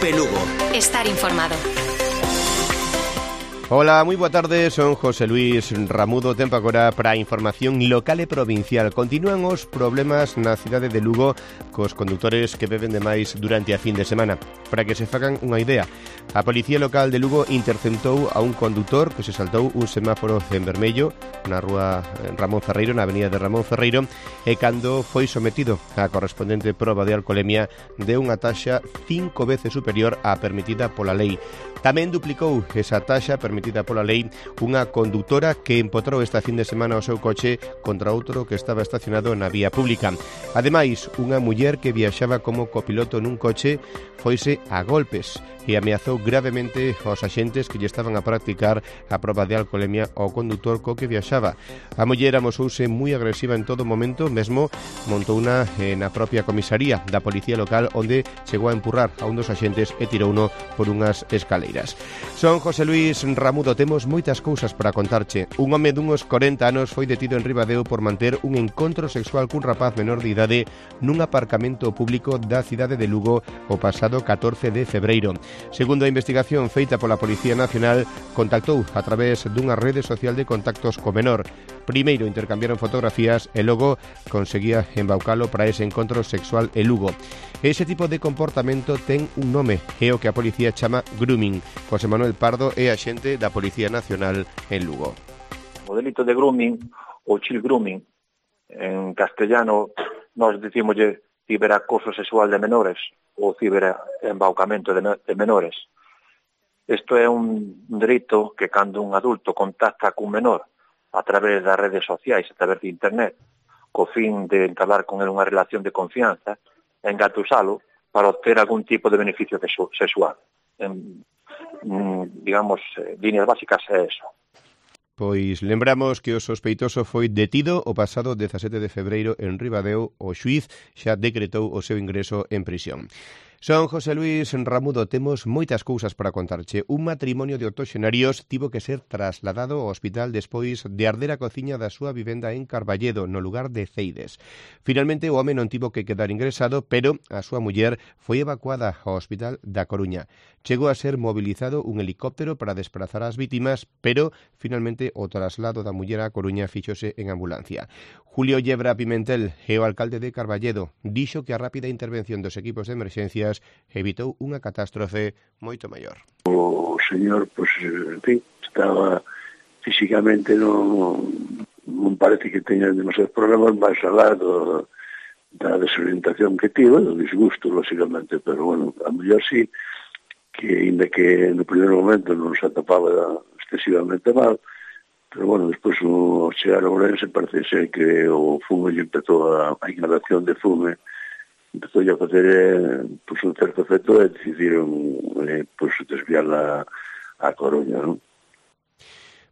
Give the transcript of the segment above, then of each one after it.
TV Lugo. Estar informado. Ola, moi boa tarde, son José Luis Ramudo. Tempo agora para a información local e provincial. Continúan os problemas na cidade de Lugo cos condutores que beben demais durante a fin de semana. Para que se fagan unha idea, a Policía Local de Lugo interceptou a un condutor que se saltou un semáforo en vermello na rúa Ramón Ferreiro, na avenida de Ramón Ferreiro, e cando foi sometido á correspondente proba de alcolemia de unha taxa 5 veces superior á permitida pola lei. Tamén duplicou esa taxa permitida pola lei unha condutora que empotrou esta fin de semana o seu coche contra outro que estaba estacionado na vía pública. Ademais, unha muller que viaxaba como copiloto nun coche foise a golpes e ameazou gravemente aos axentes que lle estaban a practicar a proba de alcolemia ao condutor co que viaxaba. A muller amosouse moi agresiva en todo momento, mesmo montouna na propia comisaría da Policía Local, onde chegou a empurrar a un dos axentes e tirouno por unhas escaleiras. Son José Luis Ramudo, temos moitas cousas para contarche. Un home dunhos 40 anos foi detido en Ribadeo por manter un encontro sexual cun rapaz menor de idade nun aparcamento público da cidade de Lugo o pasado 14 de febreiro. Segundo a investigación feita pola Policía Nacional, contactou a través dunha rede social de contactos co menor. Primeiro intercambiaron fotografías e logo conseguía embaucalo para ese encontro sexual en Lugo. Ese tipo de comportamento ten un nome, é o que a policía chama grooming. José Manuel Pardo é axente da Policía Nacional en Lugo. O delito de grooming ou child grooming, en castellano nós dicimoslle ciberacoso sexual de menores ou ciberembaucamento de menores. Isto é un delito que cando un adulto contacta cun menor a través das redes sociais, a través de internet, co fin de entablar con ele unha relación de confianza, engatusalo para obter algún tipo de beneficio sexual. Digamos, líneas básicas é eso. Pois lembramos que o sospeitoso foi detido o pasado 17 de febreiro en Ribadeo. O xuíz xa decretou o seu ingreso en prisión. Son José Luis Ramudo, temos moitas cousas para contarche. Un matrimonio de octoxenarios tivo que ser trasladado ao hospital despois de arder a cociña da súa vivenda en Carballedo, no lugar de Ceides. Finalmente, o home non tivo que quedar ingresado, pero a súa muller foi evacuada ao hospital da Coruña. Chegou a ser mobilizado un helicóptero para desplazar as vítimas, pero finalmente o traslado da muller á Coruña fíxose en ambulancia. Julio Yebra Pimentel é o alcalde de Carballedo. Dixo que a rápida intervención dos equipos de emerxencias evitou unha catástrofe moito maior. O señor, en fin, estaba físicamente non parece que teña demasiados problemas, máis alá da desorientación que tivo, do disgusto, lógicamente, pero bueno, a mellor sí, que ainda que no primeiro momento non se atopaba excesivamente mal, pero bueno, despois ao chegar a Ourense parece ser que o fume lle empezou a inhalación de fume empezou a facer un certo efecto e decidiron desviarla a Coruña, non?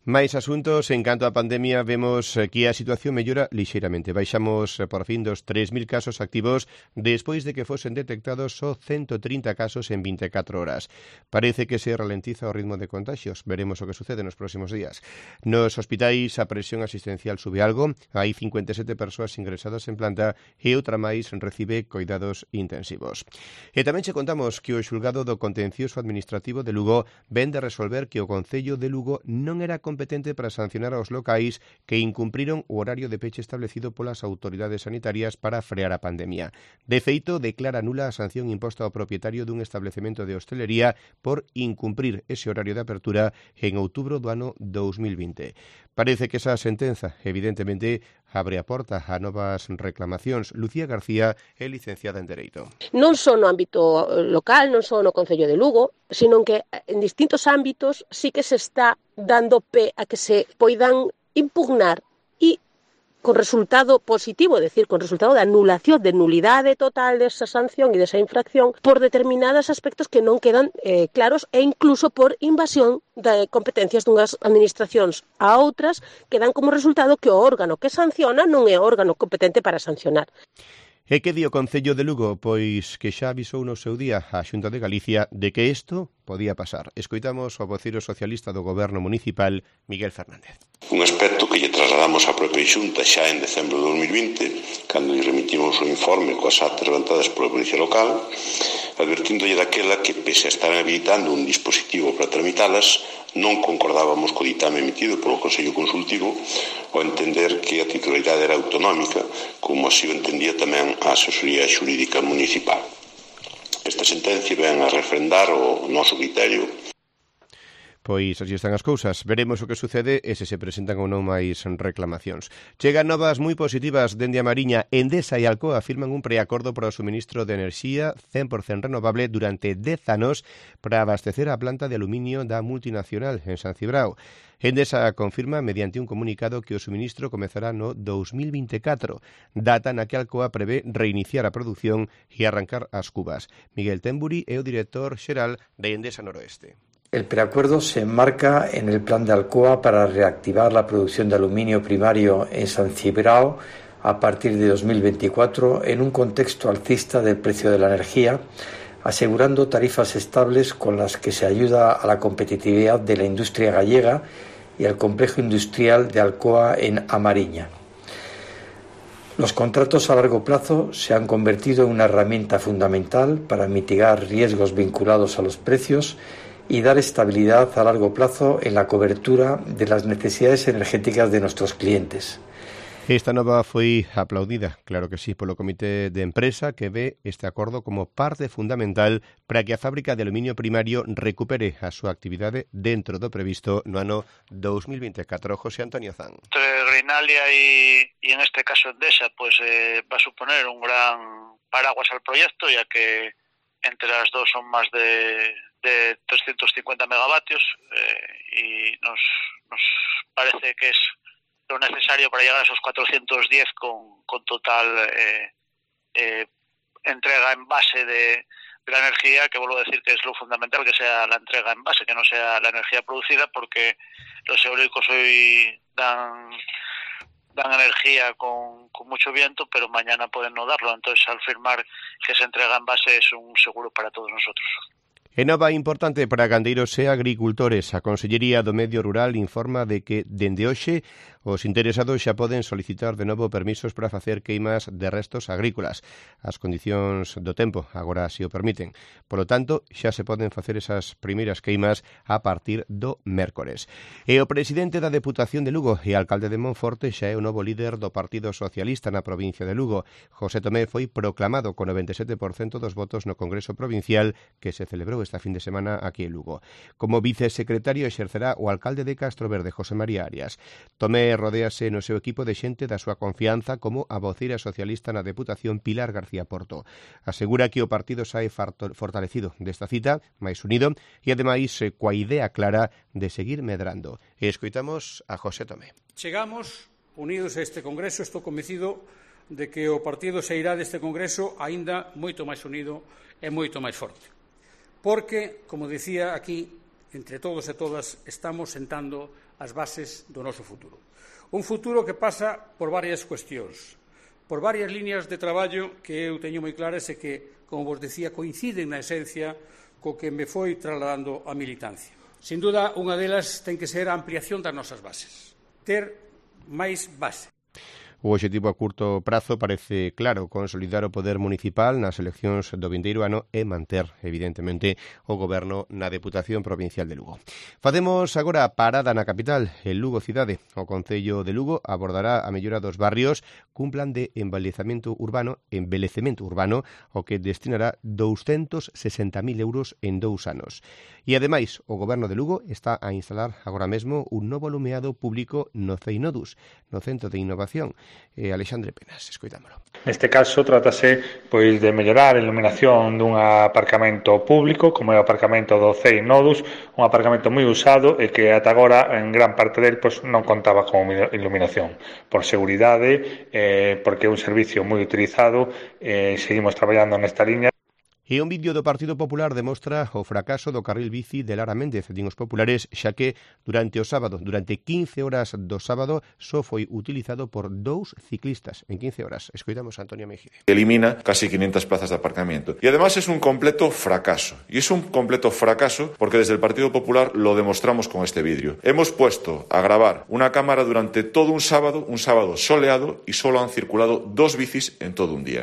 Mais asuntos, en canto á pandemia, vemos que a situación mellora lixeiramente. Baixamos por fin dos 3.000 casos activos despois de que fosen detectados só 130 casos en 24 horas. Parece que se ralentiza o ritmo de contagios. Veremos o que sucede nos próximos días. Nos hospitais a presión asistencial sube algo. Hai 57 persoas ingresadas en planta e outra máis recibe coidados intensivos. E tamén che contamos que o xulgado do contencioso administrativo de Lugo ven de resolver que o Concello de Lugo non era competente para sancionar aos locais que incumpriron o horario de peche establecido polas autoridades sanitarias para frear a pandemia. De feito, declara nula a sanción imposta ao propietario dun establecemento de hostelería por incumprir ese horario de apertura en outubro do ano 2020. Parece que esa sentenza, evidentemente, abre a porta a novas reclamacións. Lucía García é licenciada en Dereito. Non só no ámbito local, non só no Concello de Lugo, sino que en distintos ámbitos sí que se está dando pé a que se poidan impugnar e con resultado positivo, é dicir, con resultado de anulación, de nulidade total desa sanción e desa infracción por determinados aspectos que non quedan claros e incluso por invasión de competencias dunhas administracións a outras que dan como resultado que o órgano que sanciona non é o órgano competente para sancionar. E que di o Concello de Lugo? Pois que xa avisou no seu día a Xunta de Galicia de que isto podía pasar. Escoitamos ao voceiro socialista do Goberno Municipal, Miguel Fernández. Un aspecto que lle trasladamos á propia Xunta xa en decembro de 2020 cando lle remitimos o informe coas actas levantadas pola Policía Local, advertíndolle daquela que, pese a estar habilitando un dispositivo para tramitalas, non concordábamos co ditame emitido polo Consello Consultivo ao entender que a titularidade era autonómica, como así o entendía tamén a Asesoría Xurídica Municipal. Esta sentencia ven a refrendar o noso criterio. Pois así están as cousas. Veremos o que sucede e se presentan ou non máis reclamacións. Chegan novas moi positivas dende a Mariña. Endesa e Alcoa firman un preacordo para o suministro de enerxía 100% renovable durante 10 anos para abastecer a planta de aluminio da multinacional en San Cibrao. Endesa confirma mediante un comunicado que o suministro comezará no 2024, data na que Alcoa prevé reiniciar a produción e arrancar as cubas. Miguel Temburi é o director xeral de Endesa Noroeste. El preacuerdo se enmarca en el plan de Alcoa para reactivar la producción de aluminio primario en San Cibrao a partir de 2024 en un contexto alcista del precio de la energía, asegurando tarifas estables con las que se ayuda a la competitividad de la industria gallega y al complejo industrial de Alcoa en A Mariña. Los contratos a largo plazo se han convertido en una herramienta fundamental para mitigar riesgos vinculados a los precios y dar estabilidad a largo plazo en la cobertura de las necesidades energéticas de nuestros clientes. Esta nova foi aplaudida, claro que sí, polo Comité de Empresa que ve este acordo como parte fundamental para que a fábrica de aluminio primario recupere a súa actividade dentro do previsto no ano 2024. José Antonio Zan. Entre Greenalia y en este caso Endesa, pues va a suponer un gran paraguas al proyecto, ya que entre las dos son más de 350 megavatios y nos parece que es lo necesario para llegar a esos 410 con total entrega en base de la energía, que vuelvo a decir que es lo fundamental, que sea la entrega en base, que no sea la energía producida, porque los eólicos hoy dan energía con mucho viento, pero mañana pueden no darlo. Entonces, al firmar que se entrega en base es un seguro para todos nosotros. E nova importante para gandeiros e agricultores. A Consellería do Medio Rural informa de que, dende hoxe, os interesados xa poden solicitar de novo permisos para facer queimas de restos agrícolas. As condicións do tempo agora si o permiten. Polo tanto, xa se poden facer esas primeiras queimas a partir do mércores. E o presidente da Deputación de Lugo e alcalde de Monforte xa é o novo líder do Partido Socialista na provincia de Lugo. José Tomé foi proclamado con 97% dos votos no Congreso Provincial que se celebrou esta fin de semana aquí en Lugo. Como vicesecretario exercerá o alcalde de Castroverde, José María Arias. Tomé rodéase no seu equipo de xente da súa confianza como a voceira socialista na Deputación Pilar García Porto. Asegura que o partido sae fortalecido desta cita, máis unido e ademais coa idea clara de seguir medrando. E escoitamos a José Tomé. Chegamos unidos a este Congreso, estou convencido de que o partido sairá deste Congreso aínda moito máis unido e moito máis forte. Porque, como dicía aquí, entre todos e todas estamos sentando as bases do noso futuro. Un futuro que pasa por varias cuestións, por varias líneas de traballo que eu teño moi claras e que, como vos decía, coinciden na esencia co que me foi trasladando a militancia. Sin duda, unha delas ten que ser a ampliación das nosas bases, ter máis base. O obxectivo a curto prazo parece claro, consolidar o poder municipal nas eleccións do vindeiro ano e manter, evidentemente, o goberno na Deputación Provincial de Lugo. Facemos agora a parada na capital, en Lugo cidade. O Concello de Lugo abordará a mellora dos barrios cun plan de envellecemento urbano, o que destinará 260.000 euros en 2 anos. E, ademais, o goberno de Lugo está a instalar agora mesmo un novo alumeado público no CEINODUS, no Centro de Innovación. Alexandre Penas, escoitámolo. Neste caso, trátase pois de mellorar a iluminación dun aparcamento público, como é o aparcamento do CEINODUS, un aparcamento moi usado e que ata agora, en gran parte del, pois, non contaba con iluminación. Por seguridade, porque é un servicio moi utilizado, seguimos traballando nesta liña. E un vídeo do Partido Popular demostra o fracaso do carril bici de Lara Méndez, din os populares, xa que durante 15 horas do sábado, só foi utilizado por 2 ciclistas en 15 horas. Escoitamos a Antonio Mejide. Elimina casi 500 plazas de aparcamiento. Y además es un completo fracaso. Y es un completo fracaso porque desde el Partido Popular lo demostramos con este vídeo. Hemos puesto a grabar una cámara durante todo un sábado soleado, y solo han circulado 2 bicis en todo un día.